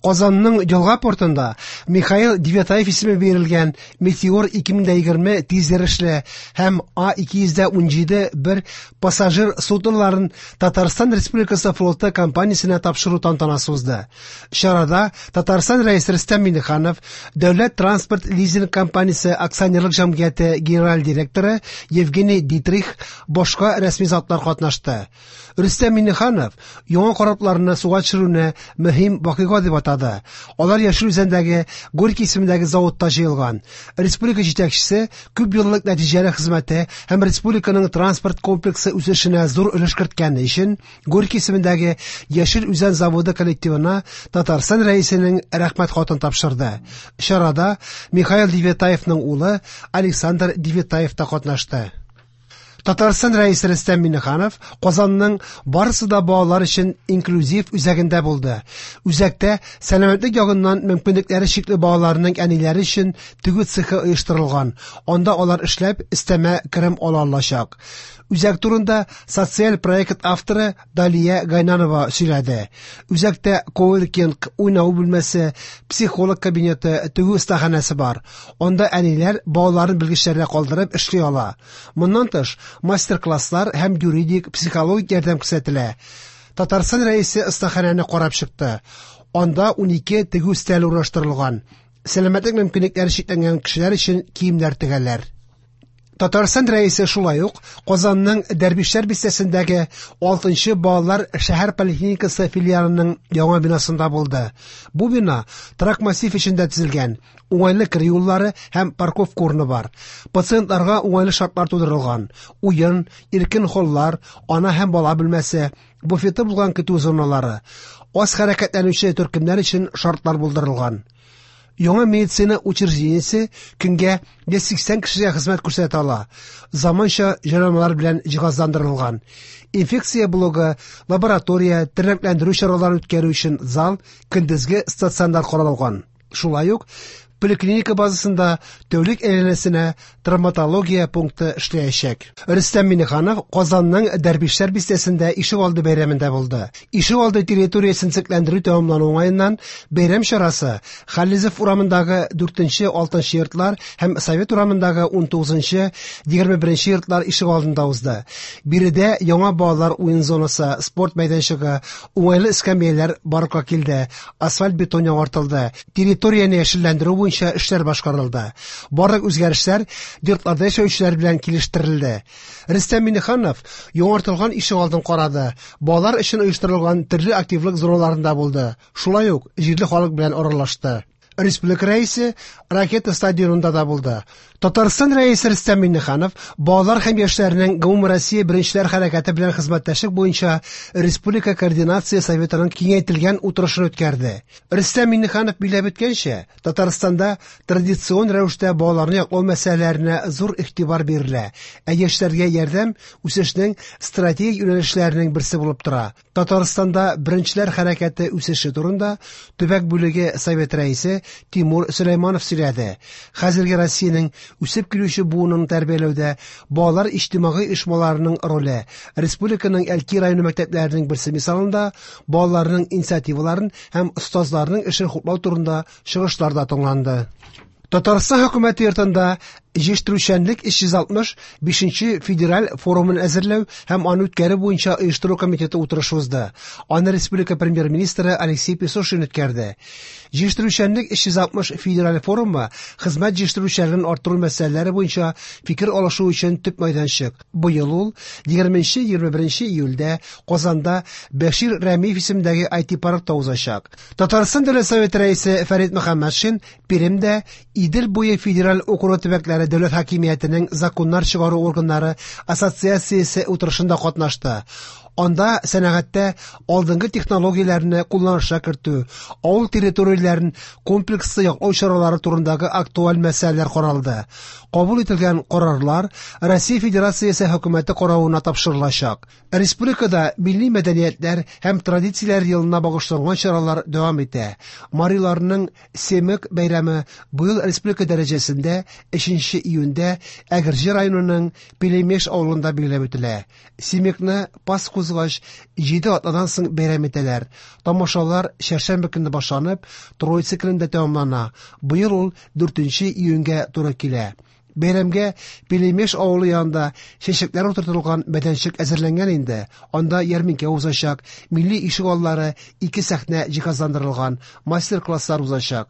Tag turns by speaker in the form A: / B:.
A: Казанның Елга портында Михаил Девятаев исеме бирелгән Метеор 2020 тизйөрешле һәм А217 бер пассажир судноларын Татарстан Республикасы флоты компаниясенә тапшыру тантанасы узды. Чарада Татарстан Рәисе Рөстәм Миңнеханов, Дәүләт транспорт лизинг компаниясе акционерлык җәмгыяте генераль директоры Евгений Дитрих, башка рәсми затлар катнашты. Рөстәм Миңнеханов яңа корабларны суга төшерүне мөһим вакыйга дип атады. Алар Яшел Үзәндәге Горький исемендәге заводта җыелган. Республика җитәкчесе күп еллык нәтиҗәле хезмәте һәм республиканың транспорт комплексы үсешенә зур өлеш керткәне өчен Горький исемендәге Яшел Үзән заводы коллективына Татарстан Рәисенең рәхмәт хатын тапшырды. Чарада Михаил Девятаевның улы Александр Девятаев та катнашты. Татарстан Рәисе Рөстәм Миңнеханов Казанның барысы да балалар өчен инклюзив үзәгендә булды. Үзәктә сәламәтлек ягыннан мөмкинлекләре чикле балаларның әниләре өчен тегү цехы оештырылган. Анда алар эшләп, өстәмә керем ала алачак. Үзәк турында социаль проект авторы Далия Гайнанова сөйләде. Үзәктә коворкинг, уйнау бүлмәсе, психолог кабинеты, тегү остаханәсе бар. Анда әниләр балаларын белгечләргә калдырып эшли ала. Моннан тыш, мастер-класслар һәм юридик, психологик ярдәм күрсәтелә. Татарстан Рәисе остаханәне карап чыкты. Анда 12 тегү өстәле урнаштырылган. Сәламәтлек мөмкинлекләре чикләнгән кешеләр өчен киемнәр тегәләр. Татарстан Рәисе шулай ук Казанның Дәрвишләр бистәсендәге 6 балалар шәһәр поликлиникасы филиалының яңа бинасында булды. Бу бина торак массив эчендә төзелгән, уңайлы керү юллары һәм парковка урыны бар. Пациентларга уңайлы шартлар тудырылган. Уен, иркен холлар, ана һәм бала бүлмәсе, буфеты булган көтү зоналары, аз хәрәкәтләнүче төркемнәр өчен шартлар булдырылган. Яңа медицина учреждениесе көнгә 180 кешегә хезмәт күрсәтә ала. Заманча җайланмалар белән җиһазландырылган. Инфекция блогы, лаборатория, тернәкләндерү чаралары үткәрү өчен зал, көндезге стационар каралган. Шулай ук поликлиника базасында тәүлек әйләнәсенә травматология пункты эшләячәк. Рөстәм Миңнеханов Казанның Дәрвишләр бистәсендә ишегалды бәйрәмендә булды. Ишегалды территориясен төзекләндерү тәмамлану уңаеннан бәйрәм чарасы Хализов урамындагы 4-6 йортлар һәм Совет урамындагы 19-21 йортлар ишегалдында узды. Биредә яңа балалар уен зонасы, спорт мәйданчыгы, уңайлы эскәмияләр барлыкка килде, асфальт-бетон яңартылды, территорияне яшелләндерү буенча эшләр башкарылды. Барлык үзгәрешләр йортларда яшәүчеләр белән килештерелде. Рөстәм Миңнеханов яңартылган ишегалдын карады, балалар өчен оештырылган төрле активлык зоналарында булды, шулай ук җирле халык белән аралашты. Республика Рәисе Ракета стадионында да булды. Татарстан Рәисе Рөстәм Миңнеханов балалар һәм яшьләрнең Гомумроссия беренчеләр хәрәкәте белән хезмәттәшлек буенча Республика координация советының киңәйтелгән утырышын үткәрде. Рөстәм Миңнеханов билгеләп үткәнчә, Татарстанда традицион рәвештә балаларны яклау мәсьәләләренә зур игътибар бирелә, ә яшьләргә ярдәм үсешнең стратегик юнәлешләренең берсе булып тора. Татарстанда беренчеләр хәрәкәте үсеше турында төбәк бүлеге совет рәисе Тимур Сөләйманов сөйләде. Хәзерге Россиянең үсеп килүче буынын тәрбияләүдә балалар иҗтимагый оешмаларының роле, республиканың Әлки районы мәктәпләренең берсе мисалында балаларның инициативаларын һәм остазларның эшен хуплау турында чыгышлар да тыңланды. Татарстан хөкүмәте йортында җитештерүчәнлек 365 федераль форумын әзерләү һәм аны үткәрү буенча оештыру комитеты утырышы узды. Аны республика премьер-министры Алексей Песошин үткәрде. Җитештерүчәнлек 360 федераль форумы хезмәт җитештерүчәнлеген арттыру мәсьәләләре буенча фикер алышу өчен төп мәйданчык. Быел ул 20-21 июльдә Казанда Бәшир Рәмиев исемендәге IT-паркта узачак. Татарстан Дәүләт Советы рәисе Фәрит Мөхәммәтшин Пермьдә Идел буе федераль округы төбәкләре дәүләт хакимиятенең законнар чыгару органнары ассоциациясе утырышында катнашты. Анда сәнәгатьтә алдынгы технологияләрне кулланышка кертү, авыл территорияләрен комплекслы яклау чаралары турындагы актуаль мәсьәләләр каралды. Кабул ителгән карарлар Россия Федерациясе хөкүмәте каравына тапшырылачак. Республикада милли мәдәниятләр һәм традицияләр елына багышланган чаралар дәвам итә. Мариларның Семык бәйрәме быел республика дәрәҗәсендә 3 июньдә Әгерҗе районының Пелемеш авылында билгеләп үтелә. Семыкны Пасху узгач, җиде атнадан соң бәйрәм итәләр. Тамашалар чәршәмбе көнне башланып, Троица көнендә тәмамлана. Быел ул 4 июньгә туры килә. Бәйрәмгә Пелемеш авылы янында чәчәкләр утыртылган мәйданчык әзерләнгән инде. Анда ярминкә узачак, милли ишек аллары, ике сәхнә җиһазландырылган, мастер-класслар узачак.